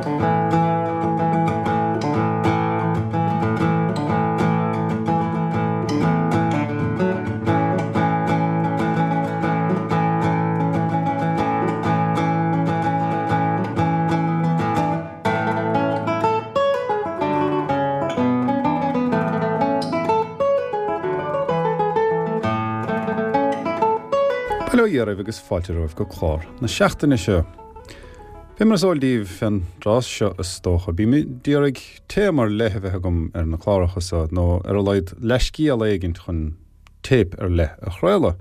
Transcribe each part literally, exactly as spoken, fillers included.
Bail ó Dhia oraibh agus fáilte romhaibh go clár na seachtaine seo. Fé mar is eol daoibh fén dtráth seo is dócha, bím d'iarraidh téama ar leith a bheith agam ar na cláracha seo, nó ar a laghad leithscéal éigint chun téip ar leith a chraoladh.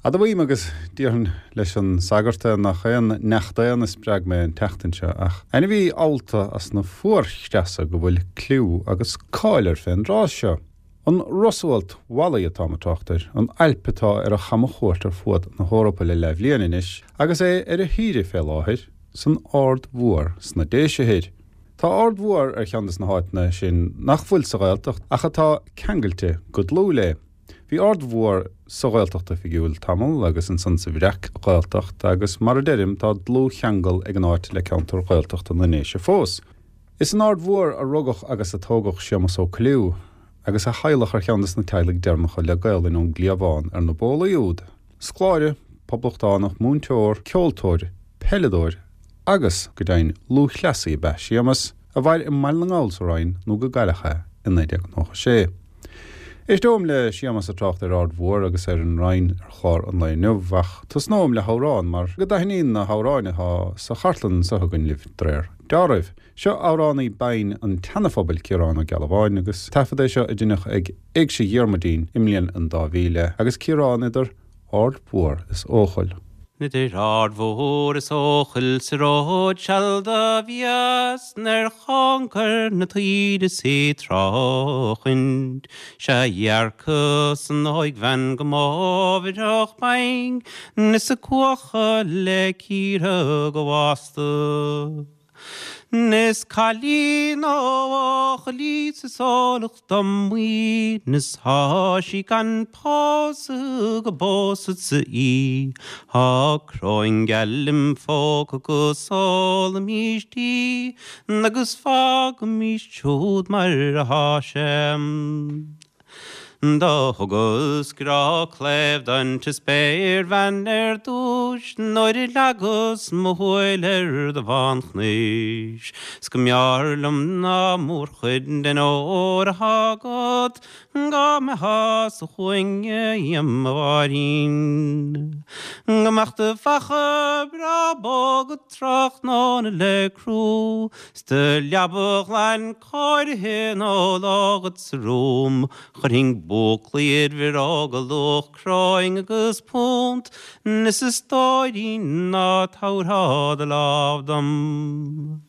Admhaím agus déarfainn leis an sagart é nach aon neach daonna a spreag mé an tseachtain seo, ach ainmhí allta as na fuarchreasa go bhfuil cliú agus cáil air fén dtráth seo. An rosualt mhalaí atáim ag trácht air, an ailp atá ar a chamchuairt ar fuaid na hEorpa le leathbhliain anois, agus é ar a shaoire fé láthair san Aird Mhór sna Déise Thoir. Tá Aird Mhór ar cheann des na háiteanna sin nach bhfuil sa Ghaeltacht ach atá ceangailte go dlúth léi. Bhí Aird Mhór sa Ghaeltacht Oifigiúil tamall agus ansan sa Bhreac-Ghaeltacht agus mar a deirim tá dlúthcheangal ag an áit le ceantar Gaeltachta na nDéise fós. Is in Aird Mhór a rugadh agus a tógadh Séamus Ó Coilliú, agus a theaghlach ar cheann des na teaghlaigh deireanacha le Gaolainn ón gcliabhán ar na bólaí úd. Scoláire, poblachtánach, múinteoir, ceoltóir, peileadóir agus, go deimhin, lúthchleasaí ab ea Séamus, a mhair i mBaile na nGall sa Rinn nó go gcailleadh é i naoi déag nócha sé. Éisteoim le Séamus ag trácht ar Aird Mhór agus ar an Rinn ar chlár an lae inniu, ach tosnóim le hamhrán mar go dtaitníonn na hamhráin atá sa chartlann anseo againn libh de réir dealraimh. Seo amhránaí binn an tSeana-Phobail, Ciarán Ó Gealbháin, agus taifead é seo a deineadh ag Éigse Dhiarmuidín i mbliain an dá mhíle, agus Ciarán idir Aird Mhór is Eochaill. Idir Aird Mhór is Eochaill sa ród seal do bhíos nuair thángar 'na taoide 's í tráchaint 'sea dhearcas an óigbhean go mámhaireach binn is a cuachadh le cíoradh go bhásta. Is cailín ó Eochaill í 's is eolach dom í 's thá sí gan pósadh go bpósfadsa í. Thá cróin gheal im phóca agus ólaimís dí agus fágaimís siúd mar athá sé. Do thugas grá cléibh don spéirbhean ar dtúis nuair a leagas mo shúil ar do bhánchnis, 's go mb'fhearr liom ná mórchuid den ór athá agat dhá mbeitheá sa chúinne dhíom a Mháirín. Go mbeadh do bheacha breá bó agat tráthnóna le crú, 's do leaba ghlan cóirithe nó lá agat sa room, Chuirfinn búclaí id bhioróga luach cróin agus punt, is a stóirín ná tabharfá do lámh dom.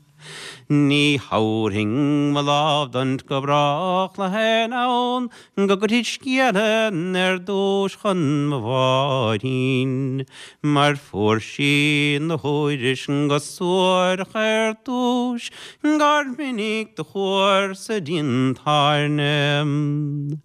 Ní thabharfainn mo lámh duit go brách le haon fhonn go gcuirfid scéala ar dtúis chun mo Mháirín, mar fuair sí 'na thuairisc go suarach ar dtúis gur mhinic do chuarsa dtí an tairne.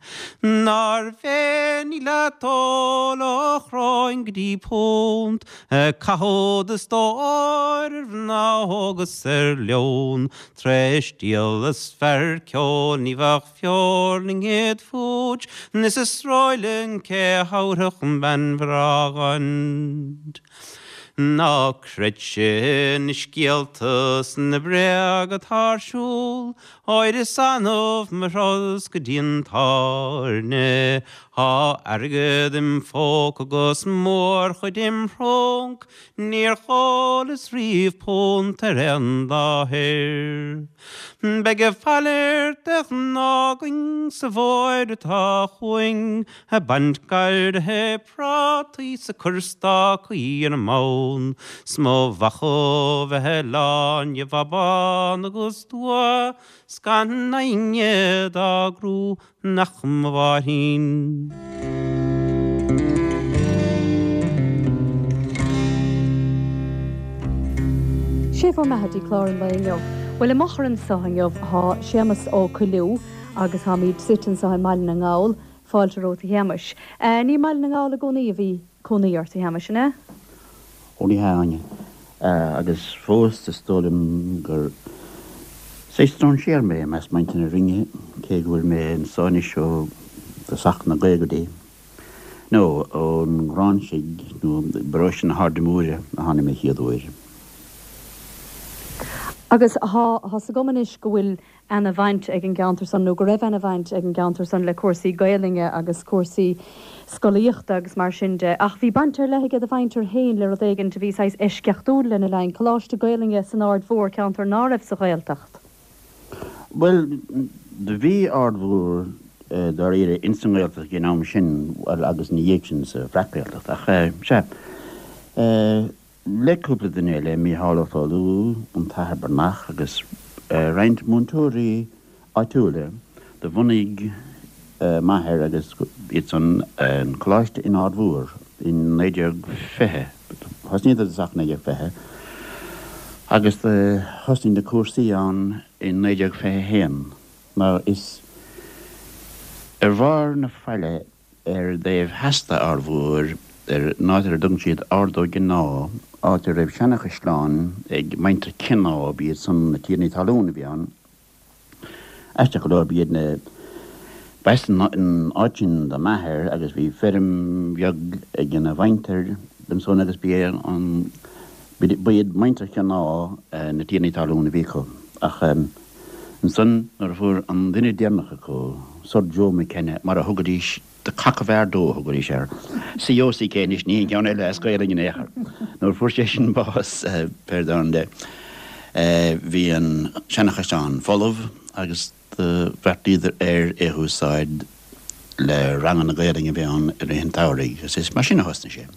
Nár bhféinig leat ól ó chróin go dtí punt, ag caitheamh do stóir ar mhná óga 's ar leon, tar éis díol is fear ceoil ní bheadh feoirling id phúits, is a sróileann cé a thabharfadh bean bhreá dhuit. Ná creidse na scéalta 's na bréaga atá ar siúl, óir is annamh mo thuras go dtí an tábhairne. Thá airgead im phóca 'gus mórchuid im thrúnc, níor dhólas riamh punt ar aon láthair. Beidh a mhalairt de ghnáth againn sa bhfómhar atá chugainn, ag baint garraithe prátaí 's ag cur stácaí ar an mbonn, 's mo bheacha bheith lán de bhabán agus dua, 's gan éinne dá gcrú nach mo Mháirín. Sé bhur mbeatha dtí clár an lae inniu. Bhuel, i m'fhochair anseo inniu tá Séamus Ó Coilliú agus táimid suite anseo i mBaile na nGall. Fáilte romhat a Shéamais. Ní i mBaile na nGall i gcónaí a bhí cónaí ort a Shéamais, an ea? Ó ní hea, a Áine. Agus fós is dóigh liom gur saghas strainséir mé i measc muintir na Rinne, cé go bhfuil mé anso anois ó tosach na gcaogaidí, nó ón nGráinsigh nó i bparóiste na hAirde Móire a tháinig mé chéad uair. Agus tá 'fhios agam anois go bhfuil ana bhaint ag an gceantar san, nó go raibh ana bhaint ag an gceantar san le cúrsaí Gaelainne agus cúrsaí scolaíochta agus mar sin de. Ach bhí baint ar leith aige do mhuintir féin le rud éigin a bhí saghas eisceachtúil lena linn, Coláiste Gaelainne san Aird Mhór, ceantar ná raibh sa Ghaeltacht. Bhuel, do bhí Aird Mhór dáiríre ins an nGaeltacht ag an am sin, bhuel agus ina dhiaidh sin sa Bhreac-Ghaeltacht, ach sea, le cúpla duine eile, Mícheál Ó Foghlú, an tAthair Breathnach agus roinnt múinteoirí áitiúla, do bhunaigh m'athair agus iad san an coláiste in Aird Mhór in naoi déag fiche. Thosnaíodar i dtosach naoi déag fiche agus do thosnaigh na cúrsaí ann in naoi déag fiche a haon mar is ar bharr na faille ar an dtaobh theas d'Aird Mhór, ar an áit ar a dtugann siad Ard Ó Gionáth, áit a raibh seanachaisleán ag muintir Cionnáith, b'iad san na tiarnaí talún a bhí ann. Aisteach go leor, b'iad na, b'as an áit sin do m'athair agus bhí feirm bheag ag ina mhuintir ansan agus b'é an, b'iad muintir Chionnáith na tiarnaí talún a bhí acu. Ach ansan nuair a fuair an duine deireanach acu, Sir Joe McKenna, mar a thugaidís, The Cock of Ardoe a thugaidís air, C O C K anois, ní an ceann eile as Gaolainn in aon chor. Nuair a fuair sé sin bás, pé ar domhan de, bhí an seanachaisleán folamh agus do bheartaíodar ar é a húsáid le ranganna Gaolainne a bheith ann i rith an tsamhraidh agus is mar sin a thosnaigh sé.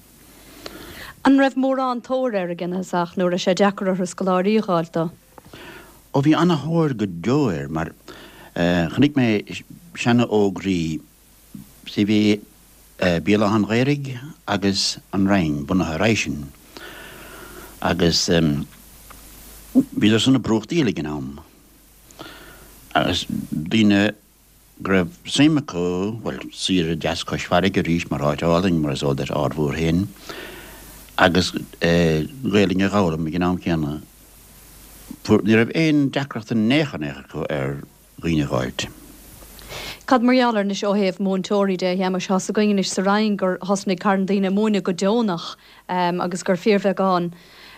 An raibh mórán tóir air ag an thosach nó raibh sé deacair orthu scoláirí a dh'fháilt dó? Ó bhí ana-thóir go deo air mar chonaic mé seana-fhógraí, sea bhí Béal Átha an Ghaorthaidh agus an Rinn bunaithe roimhe sin agus bhíodar san ag brúchtaíl ag an am agus daoine go raibh suim acu, bhuel, saoire deas cois farraige arís mar áit álainn mar is eol duit Aird Mhór féin agus Gaelainn a dh'fhoghlaim ag an am céanna. Ní raibh aon deacracht in aon chor in aon chor acu ar dhaoine a dh'fháilt. Cad mar gheall air anois ó thaobh múinteoirí de, a Shéamais? Tá's againn anois sa Rinn gur thosnaigh carn daoine ag múineadh go deonach agus gur fíorbheagán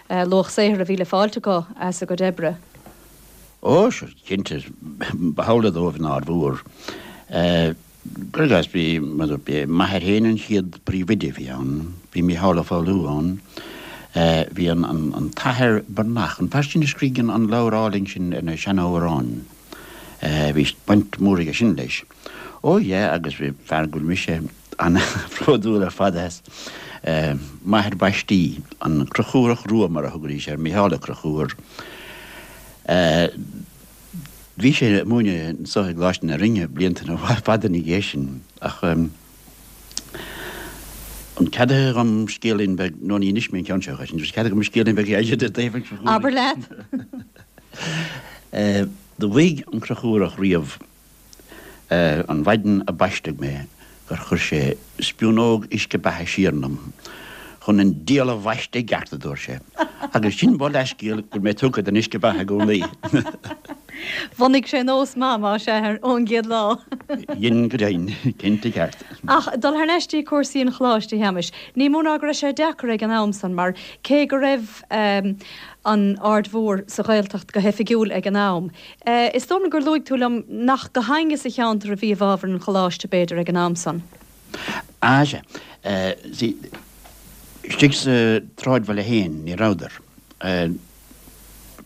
luach saothair a bhí le fáilt acu as a gcuid oibre. Ó, sea, cinnte, ba amhlaidh dóibh in Aird Mhór. Cuir i gcás, bhí, mar a dúirt mé, m'athair féin an chéad phríomhoide a bhí ann, bhí Mícheál Ó Foghlú ann, bhí an, an, an tAthair Breathnach, an fear sin a scrígh an, an leabhar álainn sin ar na seanamhráin, bhí baint mhór aige sin leis. Ó yeah, agus bhí fear go bhfuil mise an-bhródúil ar fad as, m'athair baistí, an Conchúrach Rua mar a thugaidís air, Mícheál Ó Conchúir. Bhí sé ag múineadh anso i gColáiste na Rinne blianta fada ina dhiaidh sin ach an ceadaithe dhom scéilín beag, nó ní inis mé an ceann seo dhuit, an ceadaithe dhom scéilín beag a i dtaobh an Chonchúraigh? Abair leat! Do mhaígh an Conchúrach riamh an mhaidin a baisteadh mé gur chuir sé spiúnóg uisce beatha siar ionam chun an diabhal a bhaisteadh i gceart, a dúirt sé. Agus sin mo leathscéal go bhfuil mé tugtha don uisce beatha i gcónaí. Bhunaigh sé nós maith, más ea, ón gcéad lá. Dhein go deimhin, cinnte ceart. Ach dul thar n-ais dtí cúrsaí an Choláiste, a Shéamais, ní mó ná go raibh sé deacair ag an am san, mar cé go raibh an Aird Mhór sa Ghaeltacht go hoifigiúil ag an am, Is dóigh liom gur luaigh tú liom nach go héinne sa cheantar a bhí i bhfabhar an choláiste, b'fhéidir, ag an am san. Ah, sea. See, istigh sa tsráidbhaile féin, ní rabhadar.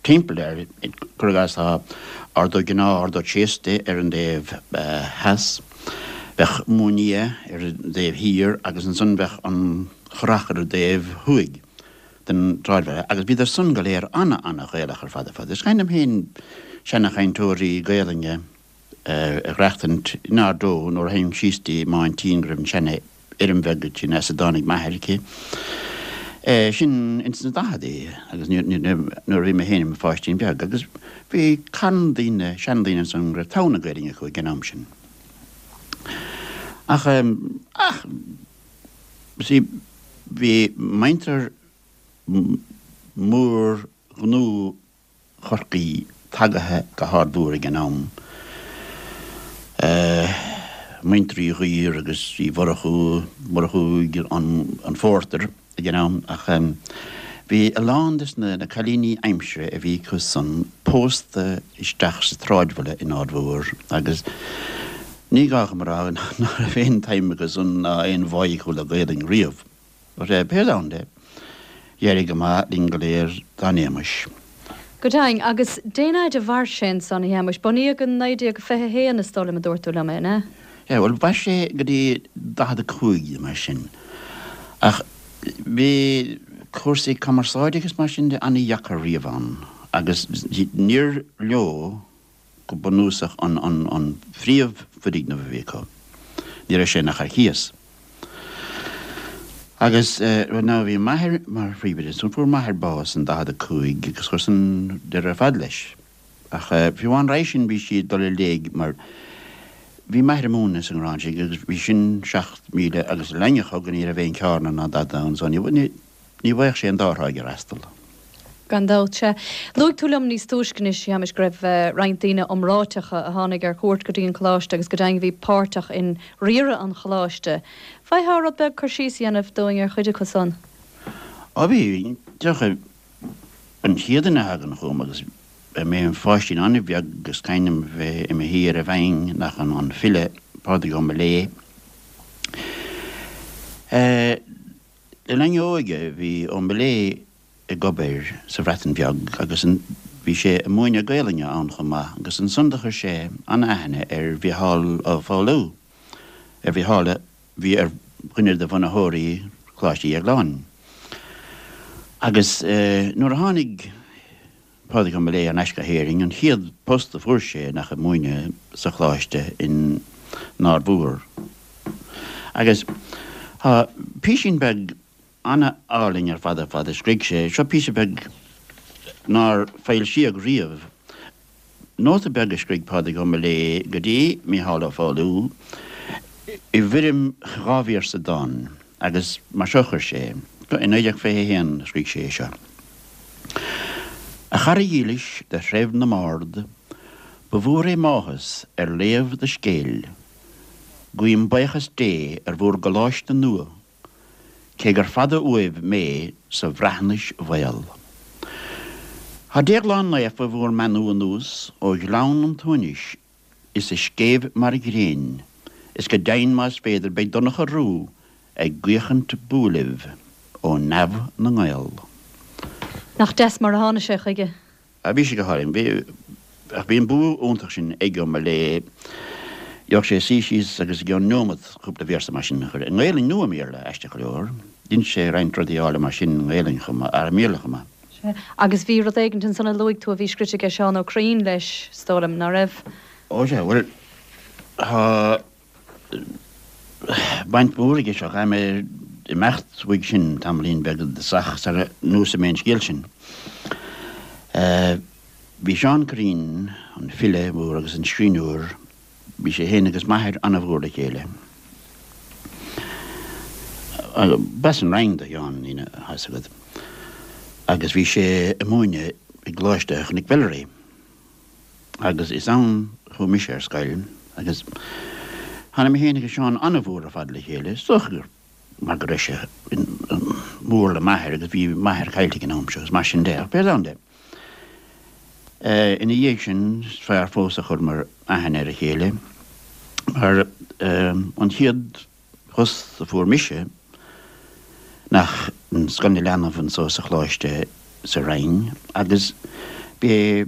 Timpeall air, cuir i gcás, tá Ard Ó Gionáth, Ard Ó Tréasta ar an dtaobh theas, bheadh Móin Fhia ar an dtaobh thiar agus ansan bheadh an Churrach ar an dtaobh thuaidh. den tsráidbhaile agus bhíodar san go léir ana-ana-Ghaelach ar fad ar fad. Is cuimhin liom féin seana-chainteoirí Gaelainne a dh'aireachtaint in Ard Eo nuair a théinn síos dtí m'aintín go raibh an seana-fheirm bheag sin as a dtáinig m'athair aici. Sin ins na daicheadaí agus nuair a bhí mé féin i mo pháistín beag agus bhí carn daoine, seandaoine ansan go raibh togha na Gaelainne acu ag an am sin. Ach, ach, see, bhí muintir mór-ghnó Chorcaí tagaithe go hArd Mhór ag an am. Muintir Uí Dhuibhir agus Uí Mhurchú, Murchú an Phórtair ag an am, ach bhí a lán des na cailíní aimsire a bhí acu san pósta isteach sa tsráidbhaile in Ard Mhór agus ní gá dom a rá nach raibh aon tsuim acu san ná aon bháidh acu le Gaelainn riamh. But pé ann de, d'éirigh go maith linn go léir dá n-éamais. Go deimhin, agus dén fhaid a mhair sé ansan, a Shéamuis? Bunaíodh in naoi déag fiche a haon is dóigh liom a dúirt tú liom é, an ea? Yeah, bhuel, mhair sé go dtí daichead a cúig nó mar sin. Ach bhí cúrsaí cumarsáide agus mar sin de an-dheacair riamh ann agus níor leo go bunúsach an, an, an phríomhfhoirgneamh a bhí acu. Ní raibh sé ach ar cíos. Agus eh, now bhí m'athair mar phríomhoide, so fuair m'athair bás in daichead a cúig agus chuir san deireadh ar fad leis. Ach eh, fiú amháin roimhe sin bhí siad dul i léig mar bhí m'athair ag múineadh sa nGráinsigh agus bhí sin seacht míle agus leath i ndiaidh a hocht ní raibh aon charranna ná dada ann so ní ní bhfaigheadh sé an dá thráigh a fhreastal. Gan dabht, sea. Luaigh tú liom níos túisce anois, a Shéamais, go raibh roinnt daoine iomráiteacha a tháinig ar cuairt go dtí an coláiste agus go deimhin bhí páirteach in riaradh an choláiste. Bhféadfá rud beag cur síos a dhéanamh dúinn ar chuid acu san? Ó bhí, dócha an chéad duine a thagann chugam agus mé i mo pháistín an-bheag agus cuimhin liom bheith i mo shuí ar an bhinn nach an an file Pádraig Ó Miléadha. Le linn a óige bhí Ó Miléadha ag obair sa Bhreatain Bheag agus bhí sé ag múineadh Gaelainne ann chomh maith agus ansan do chuir sé an-aithne ar Mhícheál Ó Foghlú, ar Mhícheál a bhí ar dhuine de bhunaitheoirí Choláiste Dhéagláin. Agus nuair a tháinig Pádraig Ó Miléadha thar n-ais go hÉirinn, an chéad post a fuair sé nach ag múineadh sa Choláiste in Ard Mhór. Agus tá písín beag an-álainn ar fad ar fad a scrígh sé. Seo píosa beag nár foilsíodh riamh. Nóta beag a scrígh Pádraig Ó Miléadha go dtí Mícheál Ó Foghlú i bhfoirm dhá véarsa dán agus mar seo a chuir sé, I naoi déag fiche a haon a scrígh sé é seo. A chara dhílis de threibh na mbard, ba mhór é m'áthas ar léamh do scéil. Guím buíochas Dé ar bhur gcoláiste nua. Cé gur fada uaibh mé sa Bhreatnais mhaol. Tá Déaglán Naofa bhur mbeannú anuas ó ghleann an tsuaimhnis is a scéimh mar ghrian, is go deimhin más féidir beidh Donncha Rua ag guíochaint bua libh ó neamh na nGael. Nach deas mar a tháinig sé chuige. Bhí sé go hálainn. Bhí, ach bhí an bua iontach sin ag Ó Miléadha. Gheobhadh sé suí síos agus i gceann neomat cúpla véarsa mar sin a chur i nGaelainn nó i mBéarla, aisteach go leor. D'inis sé roinnt rudaí áille mar sin i nGaelainn chomh maith, ar i mBéarla chomh maith. Sea. Agus bhí rud éigint ansan a luaigh tú a bhí scrite aige Seán Ó Curraoin leis, is dóigh liom, ná raibh? Ó sea, bhuel, tá baint mhór aige seo, caithfidh mé imeacht uaidh sin tamaillín beag i dtosach sara neosfaidh mé an scéal sin. Bhí Seán Curraoin, an file mór agus an scríbhneoir, Bhí sé féin agus m'athair an-mhór le chéile. B'as an Rinn do Sheán, tá a fhios agat, agus bhí sé ag múineadh i gColáiste Chnoic Mheilearaí. Agus is ann a chuaigh mise ar scoil agus tháinig mé féin agus Seán an-mhór ar fad le chéile. Is dócha gur mar go raibh sé mór le m'athair agus bhí m'athair caillte ag an am seo agus mar sin de. Ach pé ann de. Ina dhiaidh sin, is fearr fós a chuireamar aithne ar a chéile, mar an chéad phost a fuair mise nach in Scoil na Leanbh anso sa Choláiste sa Rinn agus b'é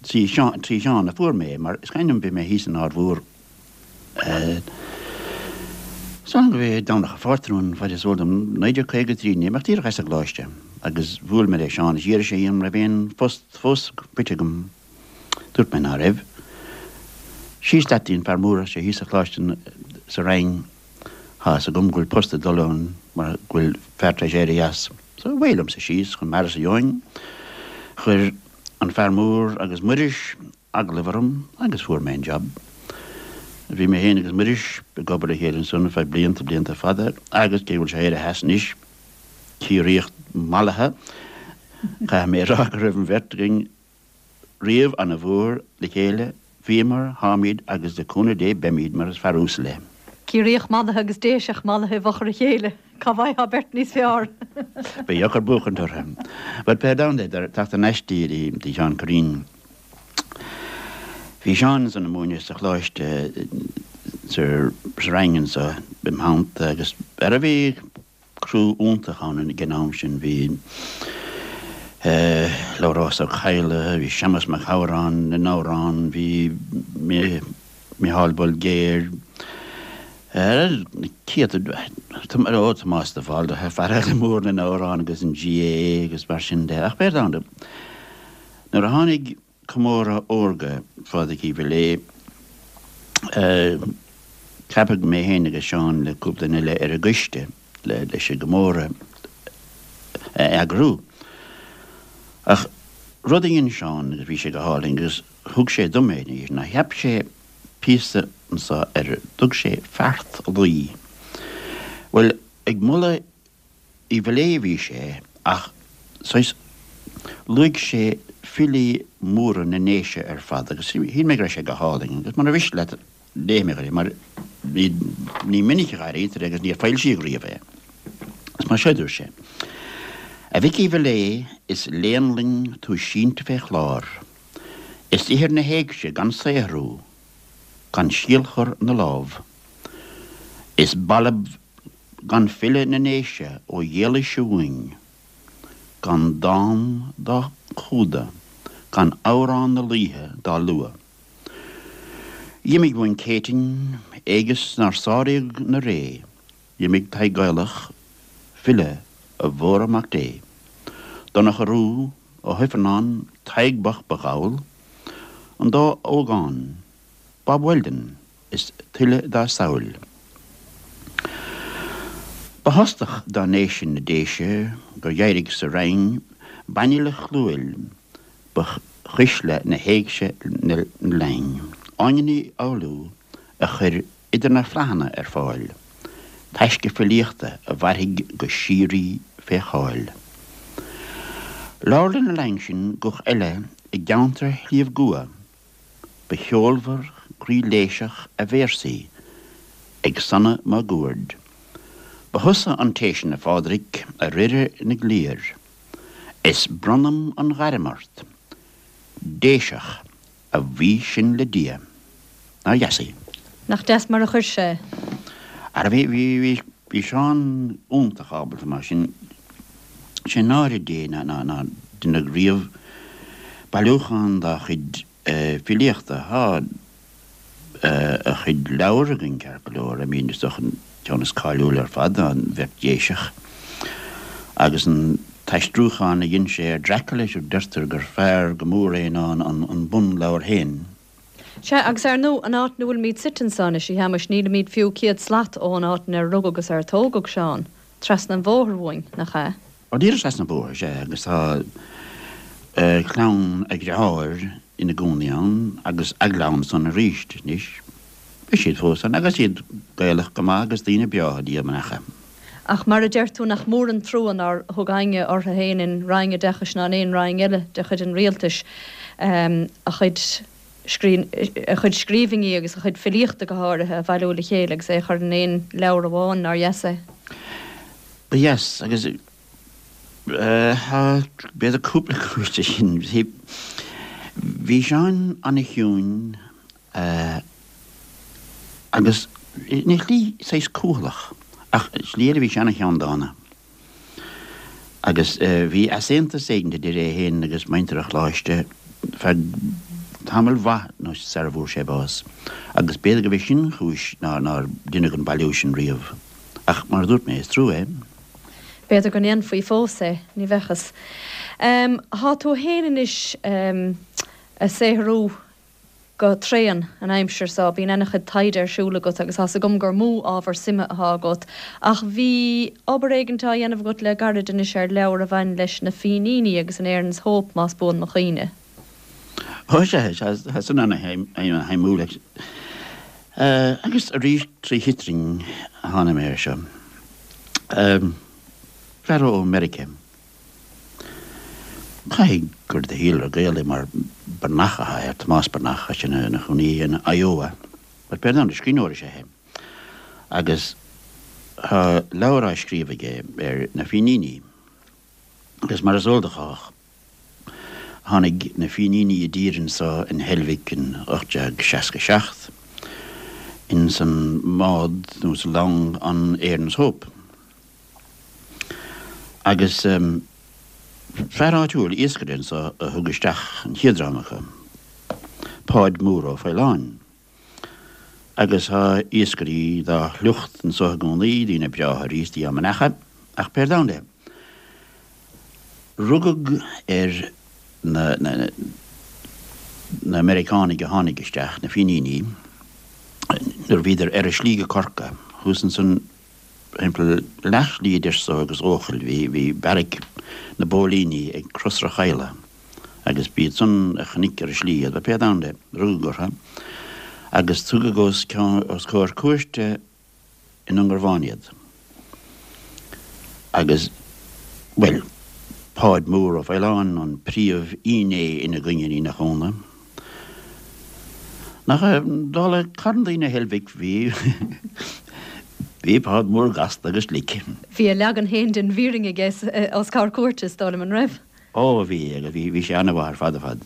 trí Sheán a fuair mé é, mar is cuimhin liom bhí mé thíos in Ard Mhór San go bhí Domhnach an Phátrúin, faid is eol dom, naoi déag caoga a trí, níl mé ach díreach as an gcoláiste agus bhuail mé le Seán is d'iarr sé dhíom an raibh aon phost fós faighte agam. Dúirt mé ná raibh. Síos leat dtí an fear mór, sé thíos sa choláiste sa Rinn, tá fhios agam go bhfuil post ag dul ann mar go bhfuil fear tar éis éirí as. So away liomsa síos chun m'fhear-sa gheobhainn. Chuir an fear mór agus Muiris agallamh orm agus fuair mé an job. Bhí mé féin agus Muiris ag obair le chéile ansan ar feadh blianta, blianta fada agus cé go bhfuil sé éirithe as anois, Ciarraíoch mallaithe, Caithfidh mé a rá go raibh an bheirt againn riamh ana-mhór le chéile, bhíomar, táimid agus le cúnamh Dé beimid mar is fear uasal é. Ciarraíoch mallaithe agus Déiseach mallaithe i bhfochair a chéile, cá bhfaighfeá beirt níos fearr? Ba dheacair buachaint orthu. But pé domhan é, teacht thar n-ais dtí Seán Curraoin. Bhí Seán ansan ag múineadh sa choláiste sa Rinn anso im theannta agus ara bhí criú iontach ann ag an am sin. Bhí Labhrás Ó Cadhla, bhí Séamus Mac Shamhráin na n-amhrán, bhí Micheál Bolgéir, na céadta, ó Tomás de Bhaldraithe, fear eile mór na n-amhrán agus an GAA agus mar sin de. Ach pé domhan, nuair a tháinig Comóradh Órga Phádraic Uí Mhiléadh, ceapadh mé féin agus Seán le cúpla duine eile ar an gcoiste leis an gcomóradh a eagrú. Ach rud a dhein Seán agus bhí sé go hálainn agus thug sé dom é ná cheap sé píosa anso ar a dtug sé Feart Laoi. Bhuel, ag moladh Uí Mhiléadh a bhí sé ach saghas luaigh sé filí móra na nDéise ar fad agus shíl mé go raibh sé go hálainn agus mura mhiste leat léifidh mé dhuit é mar ní minic a airítear é agus níor foilsíodh riamh é. Is mar seo a dúirt sé, A Mhic Uí Mhiléadh is léannlainn tú sínte fé chlár, Is ithir na héigse gan saothrú, gan síolchur na lámh, Is balbh gan file na nDéise ó Dhéalaois uainn, Gan dán dá chumhdach, gan amhrán na laoithe dá lua. D'imigh uainn Céitinn, éigeas nár sáraíodh 'na ré, D'imigh Tadhg Gaelach, file a mhóradh Mac Dé. Donncha Rua, Ó hIfearnáin, Tadhg bocht ba dhall, an dá ógán, Bob Weldon is tuilleadh dá samhail. Ba thostach dá ndéise na Déise gur dh'éirigh sa Rinn banfhile chlúmhail ba chuisle na héigse na léinn, Áine Ní Fhoghlú a chuir idir na flathanna ar fáil, taisce filíochta a mhairfidh go síoraí fé cháil. Labhair lena linn sin guth eile i gceantar Shliabh gCua, ba cheolmhar croíléiseach a véarsaí ag sonnadh máguaird. Ba thusa an té sin, a Phádraic, a Ríre na gcliar, is bronnaim an ghairm ort, Déiseach, a bhuí sin le Dia. Nár dheas í? Nach deas mar a chuir sé é? Ara bhí, bhí, bhí, bhí Seán iontach ábalta mar sin. Sé náire Dé ná, ná, nár deineadh riamh bailiúchán dá chuid filíochta. Tá a chuid leabhar againn ceart go leor, I mean is dócha an ceann is cáiliúla ar fad ná An Bheirt Dhéiseach agus an t-aistriúchán a dhein sé ar Dracula, deirtear gur fearr go mór é ná an bunleabhar féin. Sea, agus ar ndóigh, an áit ina bhfuilimid suite anso anois, a Shéamais, nílimid fiú céad slat ón áit inar rugadh agus ar tógadh Seán, trasna an bhóthair uainn, nach ea? Ó, díreach trasna an bhóthair, sea, agus tá clann a dhearthár ina gcónaí ann agus a gclann san arís anois. Beidh siad fós ann agus iad Gaelach go maith agus daoine breátha, Dia mo nacha. Ach mar a deir tú, nach mór an trua nár thug éinne orthu féin in Roinn Oideachais ná in aon roinn eile de chuid an rialtais a chuid a chuid scríbhinní agus a chuid filíochta go háirithe a bhailiú le chéile agus é a chur in aon leabhar amháin, nár dheas é? Ba dheas, agus tá b'fhéidir cúpla cúis leis sin. Bhí Seán ana-chiúin agus ina shlí saghas cúthalach, ach slí eile bhí sé ana-cheanndána. Agus bhí easaontas éigin idir é féin agus muintir an choláiste feadh tamaill mhaith nó sara bhfuair sé bás, agus b'fhéidir gurbh é sin an chúis nár deineadh an bailiú sin riamh. Ach mar a dúirt mé, is trua é. B'fhéidir go ndéanfaí fós é, ní bheadh fhios. Tá tú féin anois ag saothrú go tréan an aimsir seo, bíonn ana-chuid taighde ar siúl agat agus tá's agam gur mó ábhar suime atá agat, ach bhí obair éigint á dhéanamh agat le gairid anois ar leabhar a bhain leis na Fíníní agus an Erin's Hope, más buan mo chuimhne. Ó sea, tá san ana-shuimiúil. Agus arís trí chitrin a tháinig mé air seo. Fear ó Meiriceá. Caithfidh gur de shíolra Gael é mar Breathnach atá air, Tomás Breathnach, tá sé ina chónaí in Iowa. But pé domhan de, scríbhneoir is ea é. Agus tá leabhar á scríobh aige ar na Fíníní. Agus mar is eol do chách, tháinig na Fíníní i dtír anso in Heilbhic in ocht déag seasca seacht, ins an mbád nó sa long an Erin's Hope. Agus fear áitiúil, iascaire anso a thug isteach an chéad dream acu, Páid Mór Ó Faoláin. Agus tá iascairí dá shliocht anso i gcónaí, daoine breátha arís, Dia á mbeannú, ach pé domhan é, rugadh ar na, na, na Meiriceánaigh a tháinig isteach, na Fíníní, nuair a bhíodar ar a slí go Corcaigh, thuas ansan thimpeall leathshlí idir so agus Eochaill, bhí, bhí beairic na bpóilíní ag Crois Chaladh agus b'iad san a chonaic ar a slí iad, pé domhan de, rugadh orthu agus tugadh os cionn, os comhair cúirte i nDúngarbhán iad. Agus, bhuel, Páid Mór Ó Faoláin an príomhfhinné ina gcoinne, ní nach ionadh. Nach, dála carn daoine Heilbhic, bhí, bhí Páid Mór gasta agus glic. Bhí a leagan féin den bhfírinne aige os comhair cúirte, is dóigh liom, an raibh? Ó, bhí, agus bhí, bhí sé an-mhaith ar fad ar fad.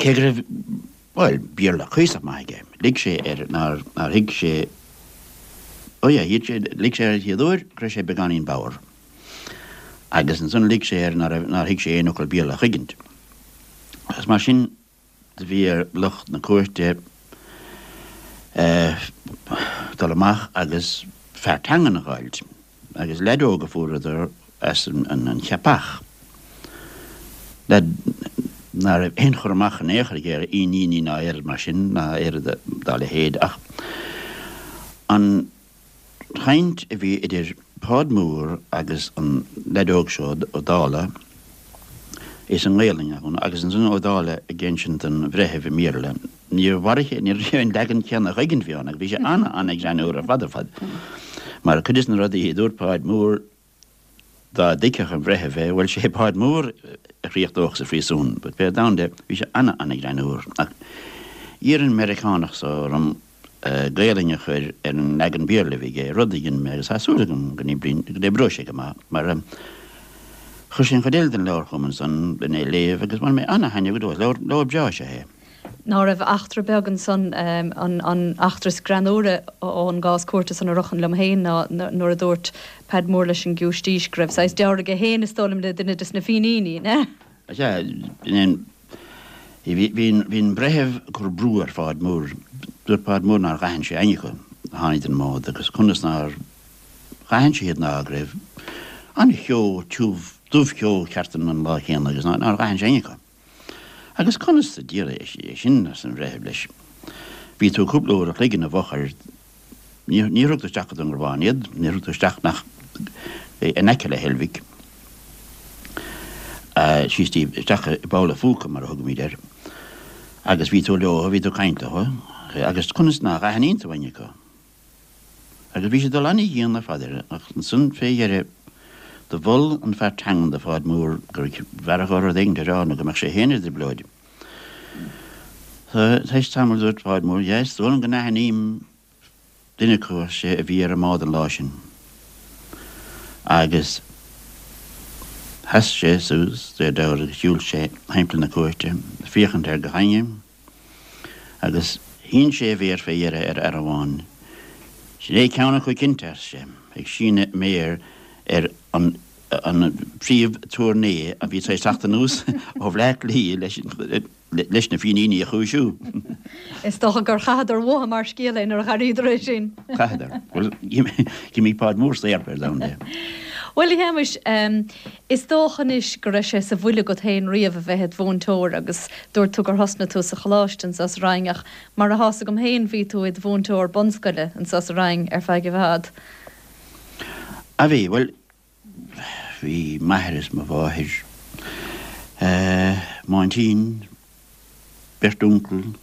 Cé go raibh, bhuel, Béarla cuíosach maith aige, lig sé air nár, nár thuig sé, ó yeah, shíl sé, lig sé air an chéad uair go raibh sé beagáinín bodhar. Agus ansan lig sé air nár, nár thuig sé aon fhocal Béarla a thuigint. Agus mar sin do bhí ar lucht na cúirte dul amach agus fear teangan a dh'fháilt. Agus leaid óg a fuaireadar as an Cheapach. Leaid ná raibh aon chur amach in aon chor aige ar Fhíníní ná aon rud mar sin ná aon rud dá leithéid ach an chaint a bhí idir Páid Mór agus an leaid óg seo Ó Dálaigh is i nGaolainn a agus ansan Ó Dálaigh ag insint don bhreitheamh i mBéarla. Níor mhair ní raibh an leagan céanna a thuigint bhí ann agus bhí sé ana-ana-ghreannmhar ar fad ar fad. Mar cuid des na rudaí a dúirt Páid Mór dá dtuigfeadh an bhreitheamh é, bhuel sé Páid Mór a chríochnódh sa phríosún, but pé domhan de, bhí sé ana-ana-ghreannmhar. Ach d'iarr an Meiriceánach so orm Gaolainn a chur ar an leagan Béarla a bhí aige, rud a dhein mé agus tá súil agam go n-oibreoidh sé go maith, mar chuir sé an chuid eile den leabhar chugam ansan len é a léamh agus bhain mé ana-thaitneamh go deo as. Leabhar, leabhar breá is ea é. Ná raibh eachtra beag ansan, an eachtra is greannmhaire ón gcás cúirte san a ritheann liom féin ná nuair a dúirt Peaid Mór leis an giúistís go raibh saghas dealramh aige féin is dóigh liom le duine des na Fíníní, ne? Sea, bhí an breitheamh ag cur brú ar Pháid Mór. Dúirt Páid Mór nár dh'aithin sé éinne acu a tháinig den mbád agus conas nár dh'aithin sé iad ná go raibh an-cheo tiubh, dubhcheo ceart ann an lá céanna agus nár dh'aithin sé éinne acu. Agus conas sa diabhal é sin, arsa an breitheamh leis. Bhí tú cúpla uair a chloig ina bhfochair. Níor thug tú isteach go Dúngarbhán iad, níor thug tú isteach ach in aice le Heilbhic, síos díobh, isteach i bpoll a' phúca mar a thugaimid air, agus bhí tú leo, bhí tú ag caint leo, agus conas nach aithníonn tú éinne acu? Agus bhí sé ag dul ana-dhian ar fad air, ach ansan fé dheireadh do mhol an fear teangan do Pháid Mór gur bhfearra dhó rud éigint a rá nó go mbeadh sé féin i dtrioblóid. Tar éis tamaill dúirt Páid Mór, Yes, is dóigh liom go n-aithním duine acu, ar sé, a bhí ar an mbád an lá sin. Agus sheas sé suas, de réir dealraimh, agus shiúil sé thimpeall na cúirte, ag féachaint ar gach éinne, agus shín sé a mhéar fé dheireadh ar fhear amháin. Sin é ceann acu cinnte, arsa sé, ag síneadh a méar ar an an príomh-aturnae a bhí tar éis teacht anuas ó Bhleá Cliath leis na Fíníní a chúisiú. Is dócha gur chaitheadar uathu mar scéal é nuair a dh'airíodar é sin. Chaitheadar. Bhuel, d'imigh Páid Mór saor pé domhan de. Bhuel, a Shéamais, is dócha anois go raibh sé sa bhfuil agat féin riamh a bheith id mhúinteoir agus dúirt tú gur thosnaigh tú sa choláiste anso sa Rinn ach mar atá 's agam féin bhí tú id mhúinteoir bunscoile anso sa Rinn ar feadh i bhfad. A bhí, bhuel, bhí m'athair is mo mháthair, m'aintín, beirt uncail,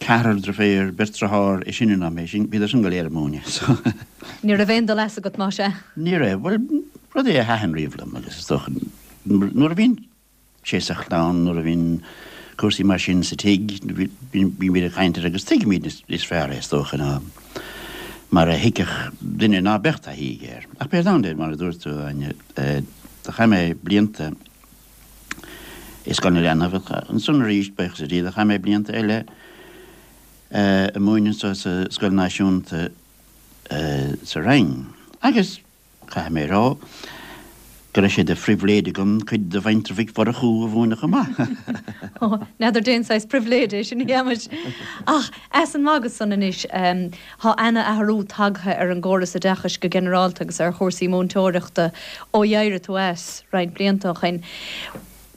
Ceathrar deirféar, beirt deartháir is sine ná mé, sin, bhíodar sin go léir ag múineadh, so. Ní raibh aon dul as agat, más ea? Ní raibh. Bhuel, rud é a thaitin riamh liom agus is dócha, nuair a bhíonn sé sa chlann, nuair a bhíonn cúrsaí mar sin sa tigh, bímid ag caint air agus tuigimid níos fearr é, is dócha, ná mar a thuigfeadh duine ná beadh taithí aige air. Ach pé ar domhan é, mar a dúirt tú, Áine, do chaith mé blianta i Scoil na Leanbh, ansan arís, buíochas le Dia, do chaith mé blianta eile ag múineadh anso sa Scoil Náisiúnta sa Rinn. Agus caithfidh mé a rá go raibh sé de phribhléid agam cuid de mhuintir Mhic Mhurchú a mhúineadh chomh maith. N'fheadar dén saghas pribhléid é sin, a Shéamais. Ach as an magadh san anois, tá ana-athrú tagtha ar an gcóras oideachais go ginearálta agus ar chúrsaí múinteoireachta ó d'éirigh tú as roinnt blianta ó shin.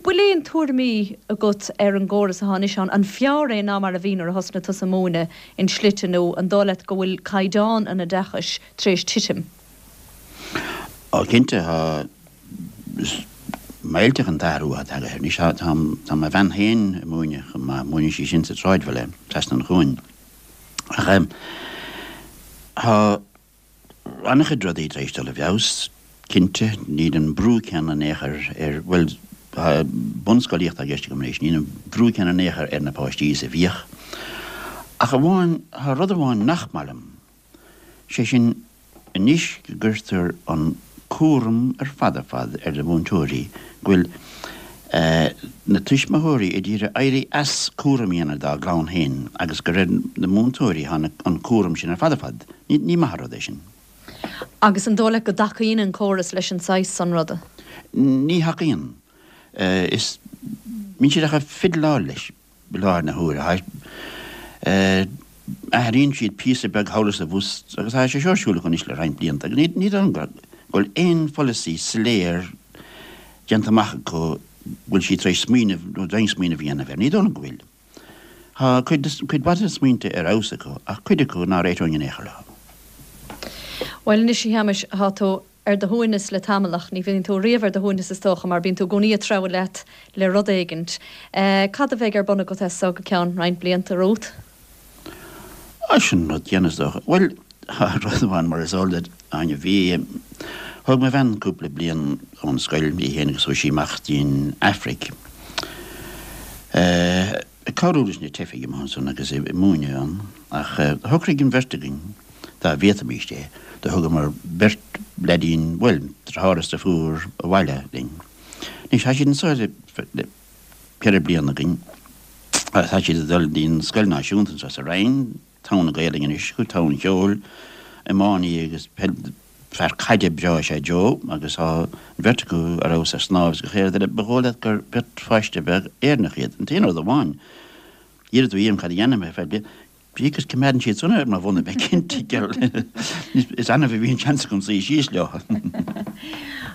Bhfuil aon tuairimí agat ar an gcóras atá anois ann? An fearr é ná mar a bhí nuair a thosnaigh tusa ag múineadh in slite nó an dóigh leat go bhfuil caighdeán an oideachais tar éis titim? Ó cinnte tá. Is millteach an t-athrú atá tagtha air. Anois tá tá mo bhean féin ag múineadh chomh maith, múineann sí sin sa tsráidbhaile trasna an chuain. Ach tá an-chuid rudaí tar éis dul i bhfeabhas, cinnte. Níl an brú céanna in aon chor ar, bhuel, tá bunscolaíocht i gceist agam anois, níl an brú céanna in aon chor ar na páistí is a bhíodh. Ach amháin, tá rud amháin nach maith liom, sé sin anois go gcuirtear an cúram ar fad ar fad ar na múinteoirí, go bhfuil na tuismitheoirí ag iarraidh éirí as cúram a dhéanamh dá gclann féin agus gur ar na múinteoirí atá an cúram sin ar fad ar fad. Ní maith an rud é sin. Agus an dóigh leat go dtacaíonn an córas leis an saghas san ruda? Ní thacaíonn. Is bíonn siad ach ag fidleáil leis i láthair na huaire. Athraíonn siad píosa beag thall is abhus agus tá sé seo ar siúl acu anois le roinnt blianta agus ní dóigh liom go bhfuil aon pholasaí soiléir déanta amach acu go bhfuil siad tar éis smaoineamh nó d'aon smaoineamh a dhéanamh air. Ní dóigh liom go bhfuil. Tá cuid, cuid mhaith de na smaointe ar fheabhas acu ach cuid acu ná réiteoinn in aon chor leo. Bhuel anois a Shéamais, tá tú ar do shuaimhneas le tamall ach ní bhíonn tú riamh ar do shuaimhneas is dócha mar bíonn tú i gcónaí ag treabhadh leat le rud éigint. Cad a bheidh ar bun agat as so go ceann roinnt blianta romhat? Á, sin an rud céanna is dócha. Bhuel, tá rud amháin mar is eol duit, Áine, bhí, thóg mo bhean cúpla bliain ón scoil, í féin agus chuaigh sí amach dtí'n Afraic ag cabhrú leis na teifigh amuigh ansan agus ag múineadh ann ach shocraigh an bheirt againn dá bhféadfaimíst é, do thugamar beirt leaidín, bhuel, deartháir is deirfiúr abhaile linn. Anois tá siad anso le ceithre bliana againn agus tá siad ag dul dtí'n scoil náisiúnta anso sa Rinn, togha na Gaelainne anois acu, togha an cheoil, iománaí agus peil, fear caide breá is ea Joe agus tá an bheirt acu ar fheabhas ar snámh is gach aon rud eile. Ba dhóigh leat gur beirt pháiste bheag Éireannach iad. An t-aon rud amháin, iarrfaidh tú dhíom cad a dhéanfaidh mé ar feadh bliana. Agus coimeádann siad san ar mo bhona, bheith cinnte, is annamh a bhíonn seans agam suí síos leo.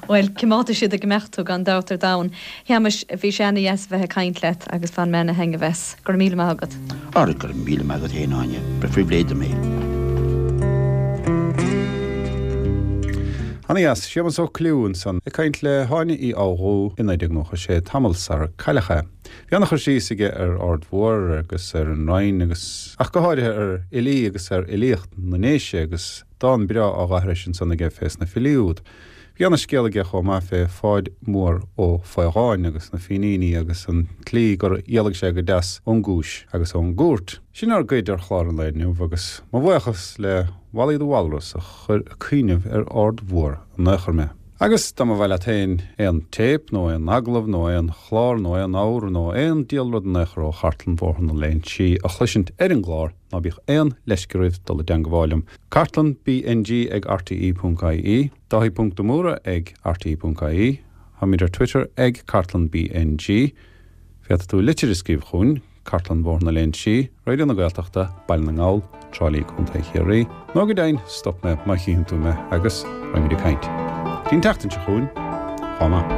Bhuel, coimeádfaidh siad ag imeacht thú gan dabht ar domhan. Shéamais, bhí sé ana-dheas a bheith ag caint leat agus bhain mé ana-thaitneamh as. Go raibh míle maith agat. Ara, go raibh míle maith agat féin, Áine. Ba phribhléid dom é. Ana-dheas. Séamus Ó Cliú ansan ag caint le hÁine Uí Fhoghlú i naoi déag nócha sé, tamall sarar cailleadh é. Bhí ana-chur síos aige ar Aird Mhór agus ar an Rinn agus, ach go háirithe ar fhilí agus ar fhilíocht na nDéise agus dán breá á dh'aithris ansan aige fés na filí úd. Bhí ana-scéal aige chomh maith fé Pháid Mór Ó Faodháin agus na Fíníní agus an tslí gur éalaigh sé go deas ón gcúis agus ón gcúirt. Sin ár gcuid ar chlár an lae inniu agus mo bhuíochas le Wally the Walrus a chuir ag cuimhneamh ar Aird Mhór in aon chor mé. Agus dá mba mhaith leat féin aon téip nó aon agallamh nó aon chlár nó aon abhar nó aon diabhal rud in aon chor ó Chartlann Bhóthar na Léinsí a chloisint ar an gclár, ná bíodh aon leisce oraibh dul i dteangabháil liom. Cartlann BNG ag rte ponc ie, Dáithí ponc de Mórdha ag rte ponc ie, Táimid ar Twitter ag Cartlann BNG. Féadfaidh tú litir a scríobh chugainn, Cartlann Bhóthar na Léinsí, Raidió na Gaeltachta, Baile na nGall, Trá Lí, Contae Chiarraí, nó go deimhin, stop mé má chífeann tú mé agus raghaimid ag caint. Go dtí an tseachtain seo chugainn, chomh maith.